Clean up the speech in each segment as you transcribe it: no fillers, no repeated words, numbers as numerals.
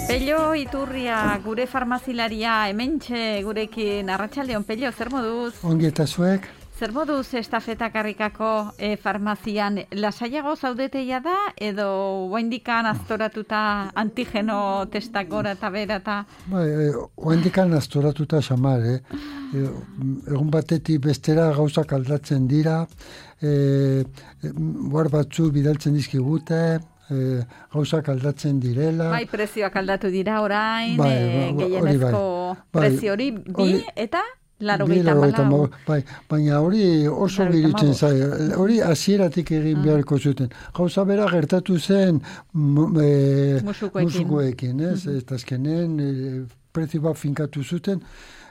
Pello Iturria, gure farmazilaria, hementxe gurekin, arratsaldeon. Pello, zer moduz? Ongi eta zuek? Zer moduz estafeta karrikako farmazian, lasaiago zaudeteia da, edo oaindikan aztoratuta antigeno testak gora eta bera eta... Oaindikan aztoratuta xamar, egun batetik bestera gauzak aldatzen dira, guar batzu bidaltzen dizkigute, gauzak aldatzen direla. Bai, prezioak aldatu dira orain, gehienezko prezio hori bi eta... Baina hori oso giritzen zai, hori hasieratik egin beharko zuten. Gauza bera gertatu zen musukoekin, eta azkenen prezio bat finkatu zuten,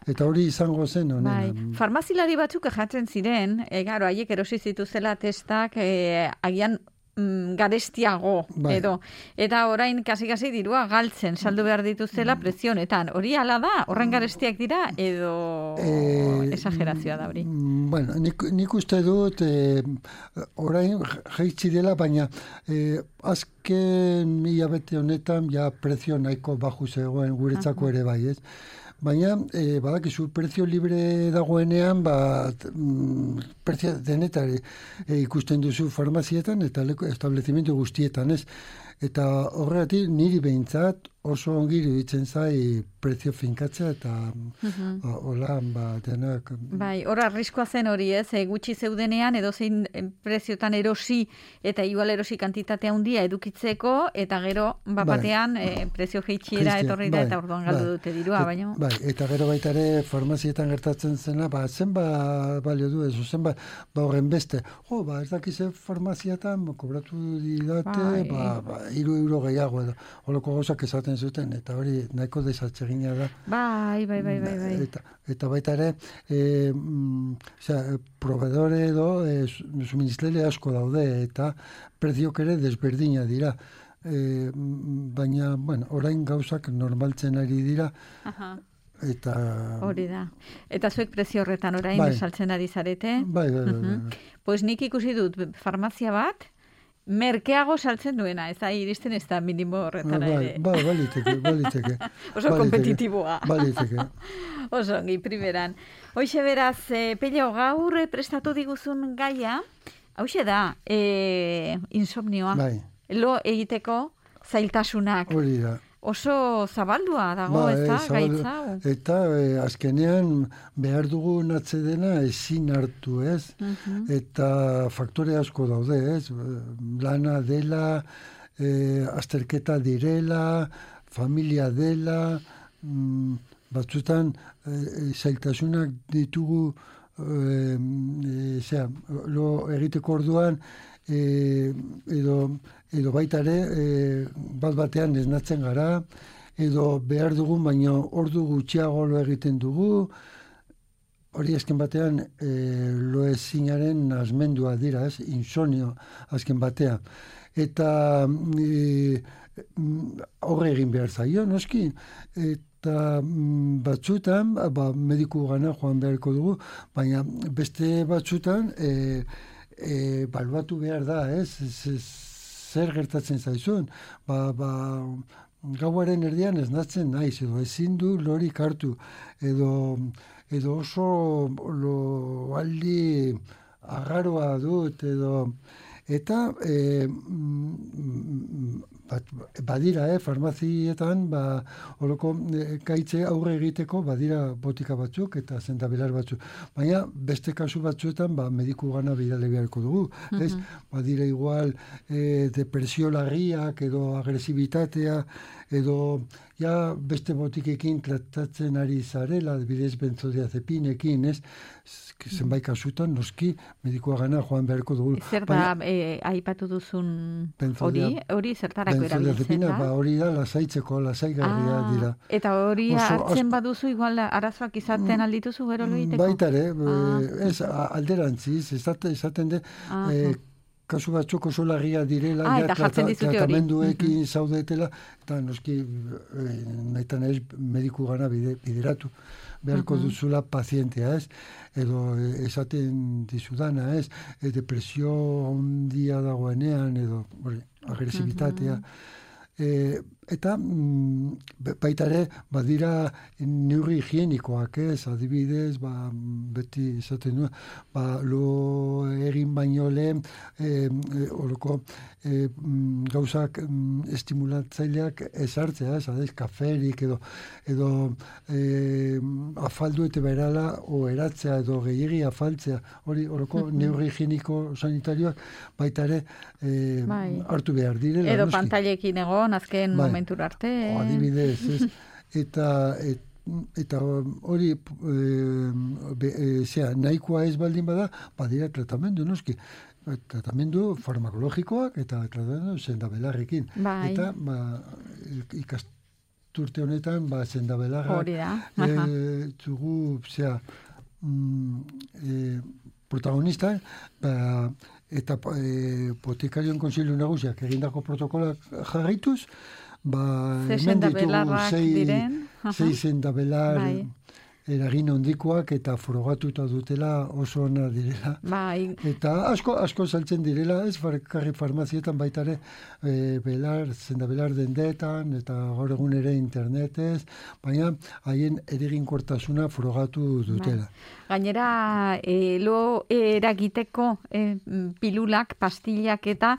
eta hori izango zen honen. Farmazilari batzuk jatzen ziren, garo, haiek erosi zituzela testak, agian garestiago edo. Eta orain kasi dirua galtzen saldu behar dituzela prezionetan. Hori hala da? Horren garestiak dira edo esagerazioa da hori? Bueno, nik uste dut orain jaitsi dela, baina azken hilabete honetan ja prezio nahiko baju zegoen guretzako ere bai, ez? Baina, badakizu, prezio libre dagoenean, prezio denetari ikusten duzu farmazietan eta establezimendu guztietan, ez? Eta horregatik niri behintzat oso ongi iruditzen zai prezio finkatzea eta hola, denak... Bai, hor arriskoa zen hori, ez? Gutxi zeudenean edo zein preziotan erosi eta igual erosi kantitatea handia edukitzeko eta gero batean prezio jeitxiera etorri da eta orduan galdu dute dirua, baina... Bai, eta gero baita ere farmazietan gertatzen zena, zenba balio du ez, zenba horren beste. Ez dakize farmaziatan kobratu didate, 3 euro gehiago edo, holoko gauzak esaten zuten, eta hori nahiko desatsegina da. Bai. Eta baita ere, proveedore edo suministraile asko daude, eta preziok ere desberdina dira. Baina, orain gauzak normaltzen ari dira, eta... Hori da. Eta zuek prezio horretan orain saltzen ari zarete? Bai. Pues nik ikusi dut farmazia bat, merkeago saltzen duena, ez da, iristen ez da minimo horretara ere. Baliteke. Oso kompetitiboa. Baliteke. Oso ongi, primeran. Hoxe beraz, Pello, gaur prestatu diguzun gaia, hauxe da, insomnioa. Bai. Lo egiteko zailtasunak. Hori da. Oso zabaldua dago, ez da, gaitza? Eta azkenean behar dugun atsedena ezin hartu, ez? Eta faktore asko daude, ez? Lana dela, azterketa direla, familia dela, batzutan zailtasunak ditugu lo egiteko orduan, edo baita ere batean esnatzen gara, edo behar dugun, baina ordu gutxiago lo egiten dugu, hori azken batean lo ezinaren asmendua dira, ez? Insomnio azken batean. Eta horre egin behar zaio, noski, eta batzutan, mediku gana joan beharko dugu, baina beste batzutan, baluatu behar da, ez? Zer gertatzen zaizun? Gauaren erdian esnatzen naiz, edo ezin du lorik hartu, edo oso loaldi agarroa dut, eta badira, farmazietan, horoko gaitze aurre egiteko, badira botika batzuk eta zendabelar batzuk. Baina beste kasu batzuetan, mediku gana bidale beharko dugu. Badira igual depresio larriak edo agresibitatea, edo beste botikekin tratatzen ari zarela, bidez benzodiazepinekin, ez? Zenbait kasutan, noski, medikua gana joan beharko dugu. Zer da, aipatu duzun hori zertarako erabiltzen da? Hori da, lasaitzeko, lasaigarria dira. Eta hori hartzen baduzu, igual arazoak izaten aldituzu gero lo egiteko? Baita ere, ez alderantziz, esaten de, kasu batzuk oso larria direla, tratamenduekin zaudetela, eta noski, nahitan ez mediku gana bideratu beharko duzula pazientea, ez? Edo esaten dizudana, ez? Depresio handia dagoenean, edo agresibitatea. Eta baita ere, badira neurri higienikoak, adibidez, beti esaten du, lo egin baino lehen, horoko gauzak estimulatzaileak ezartzea, kaferik edo afaldu eta berala eratzea edo gehiagi afaltzea, hori horoko neurri higieniko sanitarioak baita ere hartu behar direla. Edo pantailekin egon, azken momentura arte. Adibidez, ez? Eta hori nahikoa ez baldin bada, badira tratamendu, noski. Tratamendu farmakologikoak eta tratamendu sendabelarrekin. Eta ikasturte honetan, sendabelarrak zugu, protagonista, eta botikarion konsilio nagusiak egindako protokolak jarraituz, hemen ditugu sei sendabelar eragin hondikoak eta frogatuta dutela oso ona direla. Eta asko saltzen direla, ez karri farmazietan baita ere sendabelar dendetan eta gaur egun ere internetez, baina haien eraginkortasuna frogatu dutela. Gainera, lo eragiteko pilulak, pastillak eta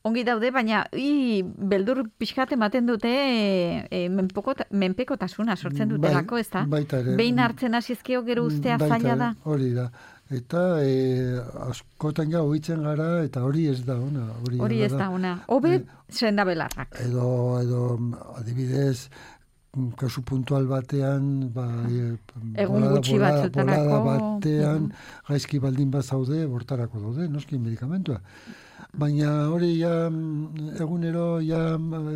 ongi daude, baina beldur pixkat ematen dute menpekotasuna sortzen dutelako, ez da? Behin hartzen hasizkio gero ustea zaila da. Hori da. Eta askotan ja ohitzen gara, eta hori ez da ona. Hori ez da ona. Hobe sendabelarrak. Edo adibidez, kasu puntual batean, egun gutxi batzutarako, bolada batean, gaizki baldin bat zaude, bortarako daude, noski medikamentua. Baina hori egunero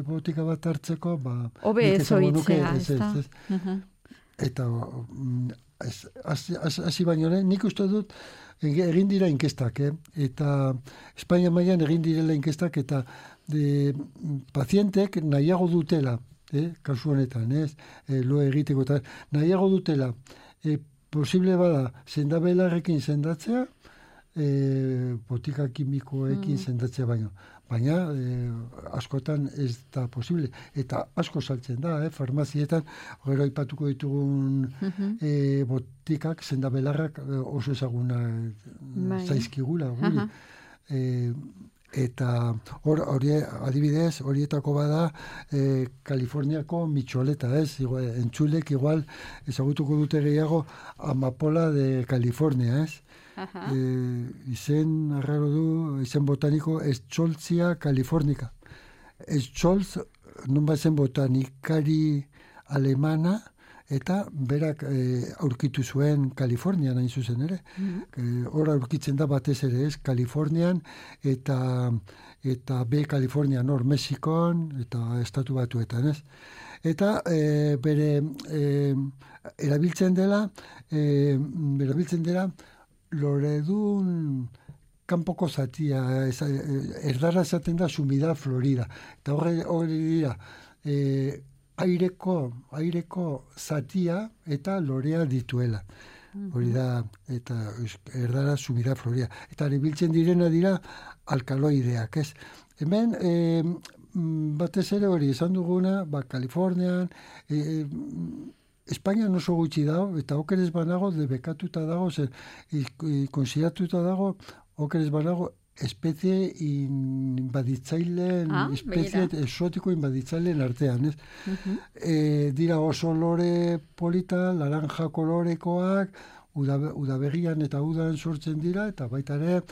botika bat hartzeko, hobe ez ohitzea, ez da? Eta hasi baino lehen, nik uste dut egin dira inkestak, eta Espainia mailan egin direla inkestak, eta pazientek nahiago dutela, kasu honetan, lo egiteko, eta nahiago dutela, posible bada, sendabelarrekin sendatzea, botika kimikoekin sendatzea baino. Baina askotan ez da posible. Eta asko saltzen da, farmazietan, gero aipatuko ditugun botikak, sendabelarrak oso ezaguna zaizkigula. Eta hori adibidez, horietako bada Kaliforniako mitxoleta, entzulek igual ezagutuko dute gehiago amapola de California, izen arraro du, izen botaniko Escholzia californica. Escholz, non zen botanikari alemana, eta berak aurkitu zuen Kalifornian hain zuzen ere. Hor aurkitzen da batez ere, Kalifornian, eta Kalifornian hor Mexikon, eta Estatu Batuetan, Eta bere erabiltzen dela loredun kanpoko zatia, erdara esaten da sumida florida. Eta hori dira, aireko zatia eta lorea dituela. Hori da, eta erdara sumida florida. Eta erabiltzen direna dira alkaloideak, ez? Hemen, batez ere hori, esan duguna, Kalifornian, Espainian oso gutxi dago, eta okerez banago, debekatuta dago, konsideratuta dago, okerez banago, espezie esotiko inbaditzaileen artean, ez? Dira oso lore polita, laranja kolorekoak, udabegian eta udan sortzen dira, eta baita ere,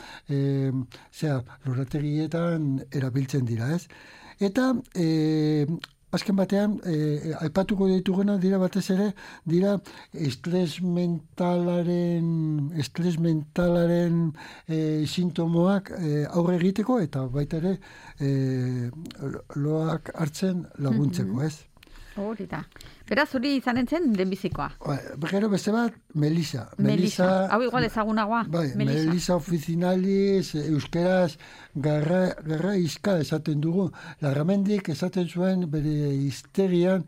lorategietan erabiltzen dira, ez? Eta, azken batean, aipatuko dituguna dira batez ere, dira estres mentalaren sintomoak aurre egiteko, eta baita ere loak hartzen laguntzeko, ez? Hori da. Beraz, hori izanen zen lehenbizikoa. Gero beste bat, Melisa. Hau igual ezagunagoa. Melisa officinalis, euskeraz, garra izka esaten dugu. Larramendik esaten zuen bere hiztegian,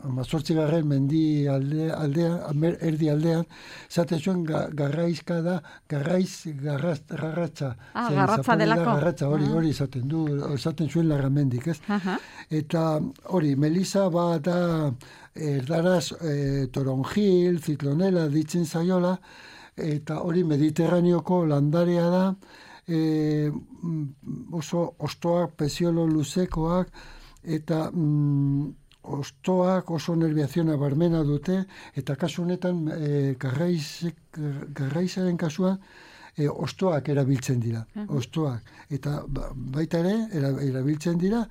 amazortzigarren mendi aldean, erdi aldean, zate zuen garraizka da, garratza. Garratza delako. Garratza, hori esaten zuen Larramendik, ez? Eta hori, Melisa da erdaraz toronjil, ziklonela ditzen zaiola, eta hori Mediterraneoko landarea da, oso ostoak, pesiolo luzekoak, eta ostoak oso nerviaziona barmena dute, eta kasu honetan garraizaren kasuan ostoak erabiltzen dira, ostoak. Eta baita ere, erabiltzen dira,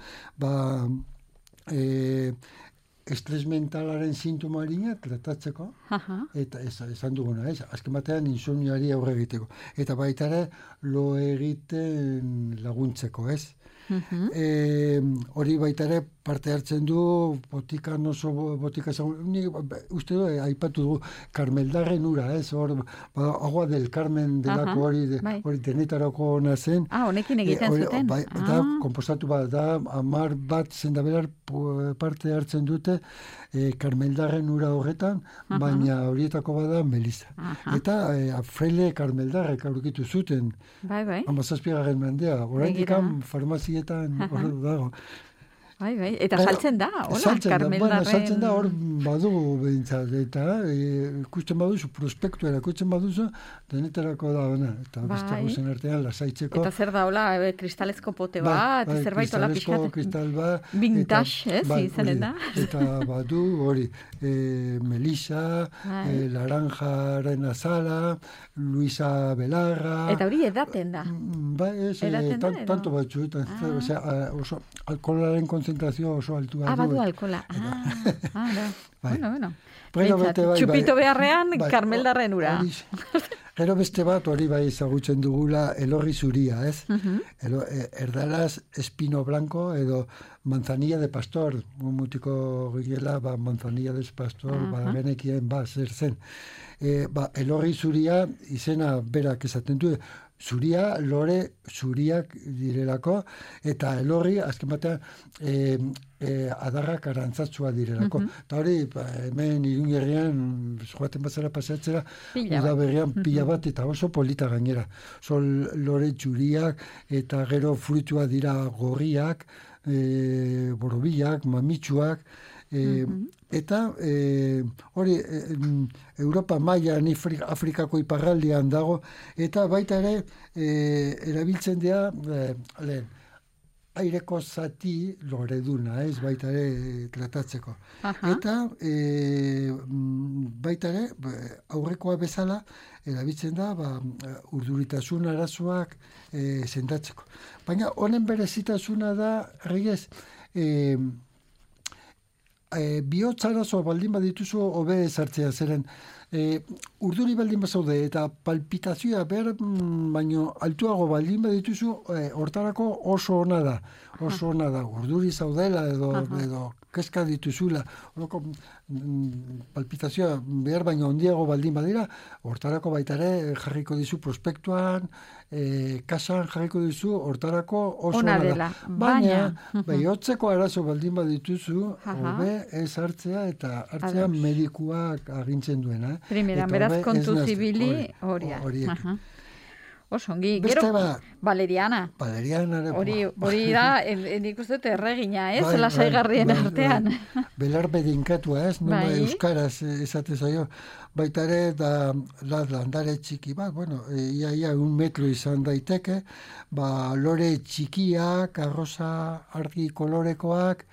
estres mentalaren sintomarina tratatzeko, eta esan duguna, azken batean insomnioari aurre egiteko. Eta baita ere, lo egiten laguntzeko, ez? Hori baita ere parte hartzen du botika uste du, aipatu dugu Karmeldarren ura, ez? Agua del Carmen delako hori denetarako ona zen. Honekin egiten zuten. Eta konpostatu da 10 bat zendabelar parte hartzen dute Karmeldarren ura horretan, baina horietako bada Melisa. Eta Fraile Karmeldarrek aurkitu zuten 17. mendea. Oraindik farmazietan hor dago. Eta saltzen da, hola, Karmeldarren. Saltzen da, hor badugu behintzat, eta ikusten baduzu, prospektua erakutzen baduzu, denetarako da ona, eta beste guzen artean lasaitzeko. Eta zer da, hola, kristalezko pote bat, zerbait hola pixkat. Kristal bat. Vintage, izenen da. Eta badu, hori, Melisa, Laranjaren azala, Luisa Belarra. Eta hori edaten da. Tanto batzu, oso alkoholaren konzentrazio oso altua du. Badu alkohola. Bueno. Txupito beharrean, Karmeldarren ura. Gero beste bat, hori bai ezagutzen dugula, elorri zuria, ez? Erdaraz espino blanco edo manzanilla de pastor, mutiko gila, manzanilla de pastor, genekien, zer zen. Elorri zuria izena berak esaten du, zuria, lore zuriak direlako, eta elorri, azken batean, adarrak arantzatzua direlako. Eta hori, hemen Irungerrian, joaten bazara pasatzera, udaberrian pila bat, eta oso polita gainera. Lore zuriak, eta gero fruitua dira gorriak, borobilak, mamitsuak, eta hori Europa mailan Afrikako iparraldean dago, eta baita ere erabiltzen dira aireko zati loreduna, ez baita ere tratatzeko. Eta baita ere aurrekoa bezala erabiltzen da urduritasun arazoak sendatzeko. Baina honen berezitasuna da, Reyes, bihotzarazo baldin badituzu hobe ezartzea, zeren urduri baldin bazaude eta palpitazioa baino altuago baldin badituzu, hortarako oso ona da. Urduri zaudela edo kezka dituzula, palpitazioa behar baino handiago baldin badira, hortarako baita ere jarriko dizu prospektuan, kasan jarriko dizu, hortarako oso ona da. Baina, bihotzeko arazo baldin badituzu, hobe ez hartzea eta hartzea medikuak agintzen duena. Primeran, beraz kontu zibili horiek. Osongi, gero, Valeriana. Hori da, nik uste dut erregina, ez? Lasaigarrien artean. Belar bedinkatua, ez? Euskaraz esate zaio. Baita ere, da landare txiki bat, ia 1 metro izan daiteke, lore txikiak, arroza argi kolorekoak,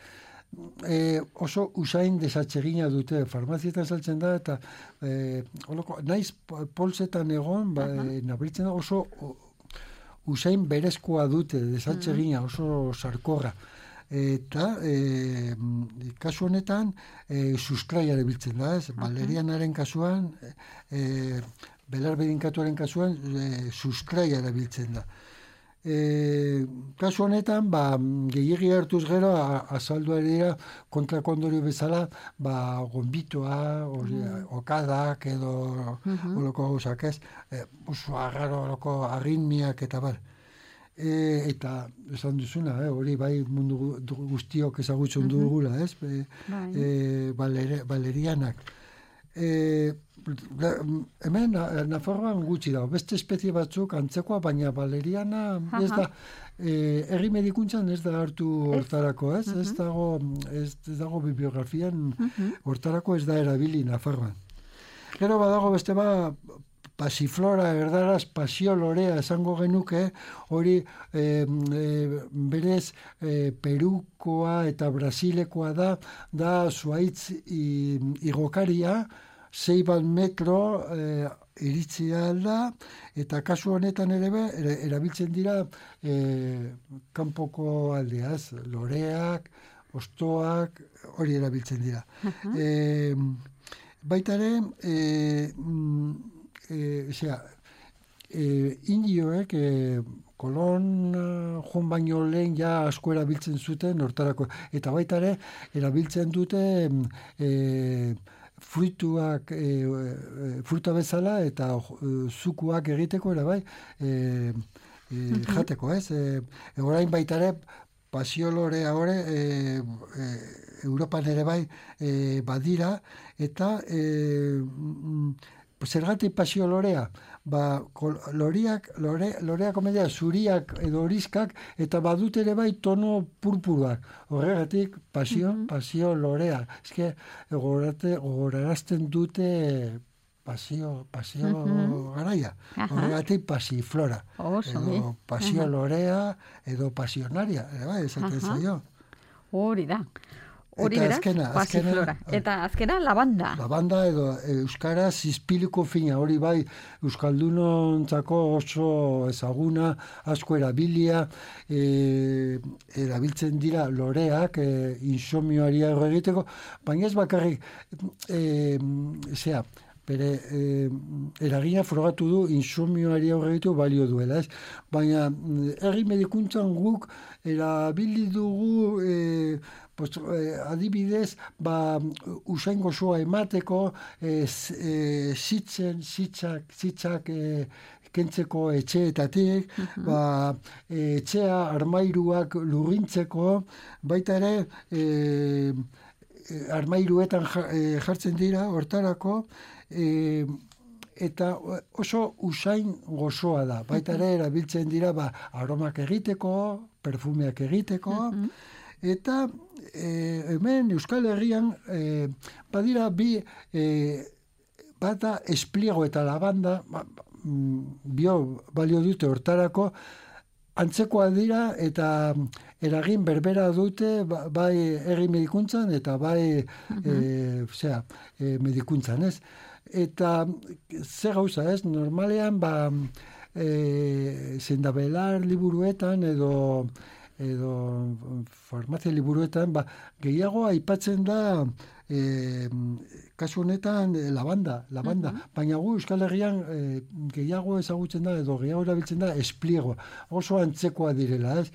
oso usain desatsegina dute, farmazietan saltzen da, eta naiz polsetan egon, nabaritzen da, oso usain berezkoa dute, desatsegina, oso sarkorra. Eta kasu honetan sustraia erabiltzen da, ez? Valerianaren kasuan, belar bedinkatuaren kasuan, sustraia erabiltzen da. Kasu honetan, gehiegi hartuz gero, azaldua dira kontrakondorio bezala, gonbitoa, okadak edo oloko gauzak ez, oso agarro oloko arritmiak eta bar. Eta esan duzuna, hori bai mundu guztiok ezagutzen dugula, ez? Valerianak. Hemen Nafarroan gutxi dago, beste espezie batzuk antzekoa, baina valeriana ez da, herri medikuntzan ez da hartu hortarako, ez? Ez dago bibliografian hortarako ez da erabili Nafarroan. Gero badago beste pasiflora, erdaraz, pasiolorea esango genuke, hori berez Perukoa eta Brasilekoa da zuaitz igokaria, 6 metro iritzia da, eta kasu honetan ere erabiltzen dira kanpoko aldeaz, loreak, ostoak, hori erabiltzen dira. Baita ere, indioek Kolon joan baino lehen ja asko erabiltzen zuten hortarako, eta baita ere erabiltzen dute fruta bezala eta zukuak egiteko ere bai jateko, ez? Orain baita ere pasiolorea hori Europan ere bai badira, eta zergatik pasiolorea? Loreak omedia zuriak edo horizkak, eta badut ere bai tono purpuruak. Horregatik pasio lorea. Ezke, gogorarazten dute pasio garaia. Horregatik pasiflora. Edo pasio lorea, edo pasionaria. Esaten zaio. Hori da. Hori beraz, pasiflora. Eta azkena, lavanda. Lavanda edo euskaraz izpiliko fina, hori bai euskaldunontzako oso ezaguna, asko erabilia, erabiltzen dira loreak, insomioari aurre egiteko, baina ez bakarrik, bere eragina frogatu du insomioari aurre egiteko balio duela, ez? Baina herri medikuntzan guk erabili dugu adibidez, usain gozoa emateko, zitzak kentzeko etxeetatik, etxea armairuak lurrintzeko, baita ere armairuetan jartzen dira hortarako, eta oso usain gozoa da. Baita ere erabiltzen dira aromak egiteko, perfumeak egiteko, eta hemen Euskal Herrian badira bata espliego eta lavanda balio dute hortarako, antzekoa dira eta eragin berbera dute bai herri medikuntzan eta bai medikuntzan, ez? Eta ze gauza, ez? Normalean zendabelar liburuetan edo farmazia liburuetan gehiago aipatzen da kasu honetan lavanda. Baina gu Euskal Herrian gehiago ezagutzen da edo gehiago erabiltzen da espliego. Oso antzekoa direla, ez?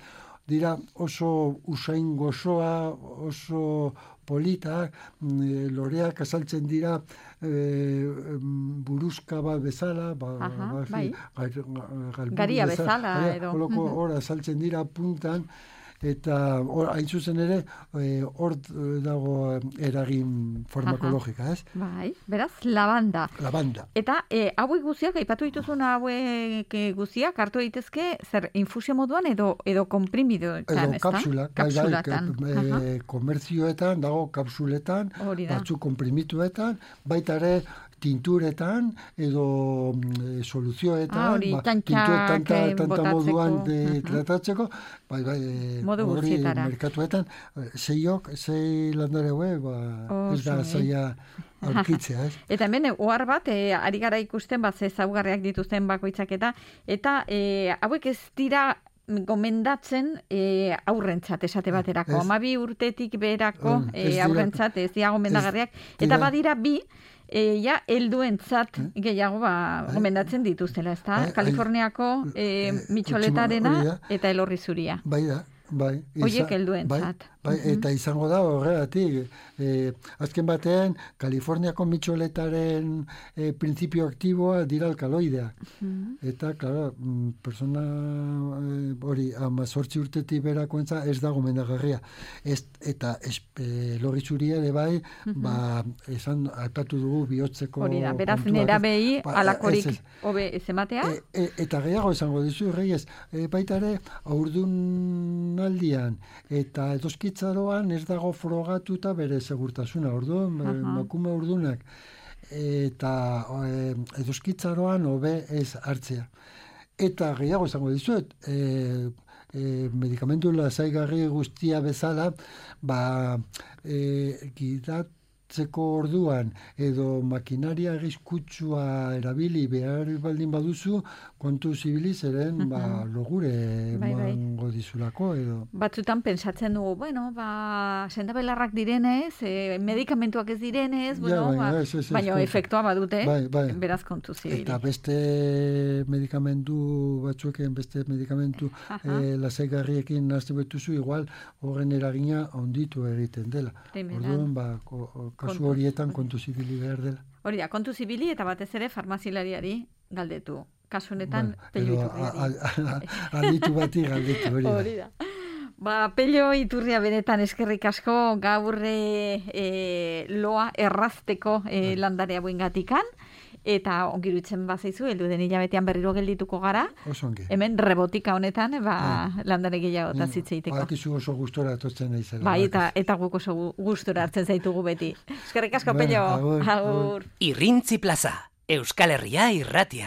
Dira oso usain gozoa, oso politak, loreak azaltzen dira buruzka bat bezala, garia bezala edo. Hor azaltzen dira puntan, eta hain zuzen ere hor dago eragin farmakologika, ez? Bai, beraz, lavanda. Eta hauek guziak, aipatu dituzun hauek guziak, hartu daitezke zer infusio moduan edo konprimidoetan, ez da? Kapsulatan. Komertzioetan, dago kapsuletan, batzu konprimituetan, baita ere tinturetan edo soluzioetan, tanta moduan tratatzeko, modu guztietara. Merkatuetan, sei landare ez da zaila aurkitzea, ez? Eta hemen, ohar bat, ari gara ikusten, ze ezaugarriak dituzten bakoitzak eta hauek ez dira gomendatzen aurrentzat esate baterako. 12 urtetik beherako aurrentzat ez dira gomendagarriak. Eta badira helduentzat gehiago gomendatzen dituztela, ezta? Kaliforniako mitxoletarena eta elorri zuria. Bai. Oiek helduentzat. Eta izango da horregatik. Azken batean, Kaliforniako mitxoletaren printzipio aktiboa dira alkaloideak. Eta, klaro, persona hori 18 urtetik berakoentza ez da gomendagarria. Eta lorritzuria ere bai, esan aipatu dugu bihotzeko hori da, beraz nerabei alakorik hobe ez ematea? Eta gehiago esango dizu, Reyes, baita ere, aurdunaldian eta edoskitzaroan ez dago frogatuta bere segurtasuna, orduan, makume urdunak, eta edoskitzaroan hobe ez hartzea. Eta gehiago esango dizuet, medikamentu lasaigarri guztia bezala, gidatzeko orduan edo makinaria arriskutsua erabili behar baldin baduzu, kontu zibili zeren logure emango dizulako edo. Batzutan pentsatzen dugu, sendabelarrak direnez, medikamentuak ez direnez, baina efektua badute, beraz kontu zibili. Eta beste medikamentu batzueken, beste medikamentu lasaigarriekin nazten betuzu, igual horren eragina onditu egiten dela. Orduan, kasu horietan kontu zibili behar dela. Hori da, kontu zibili eta batez ere farmazilariari galdetu. Kasu honetan, Pello Iturriari. Aditu bati galdetu, hori da. Pello Iturria benetan eskerrik asko gaur loa errazteko landarea buengatikan, eta ongirutzen bazaizu, heldu den hilabetean berriro geldituko gara. Osongi. Hemen rebotika honetan, landare gehiago eta zitzeiteko. Badakizu oso gustora etortzen naizela. Eta guk oso gustora hartzen zaitugu beti. Eskerrik asko, Pello. Agur. Irrintzi Plaza, Euskal Herria irratia.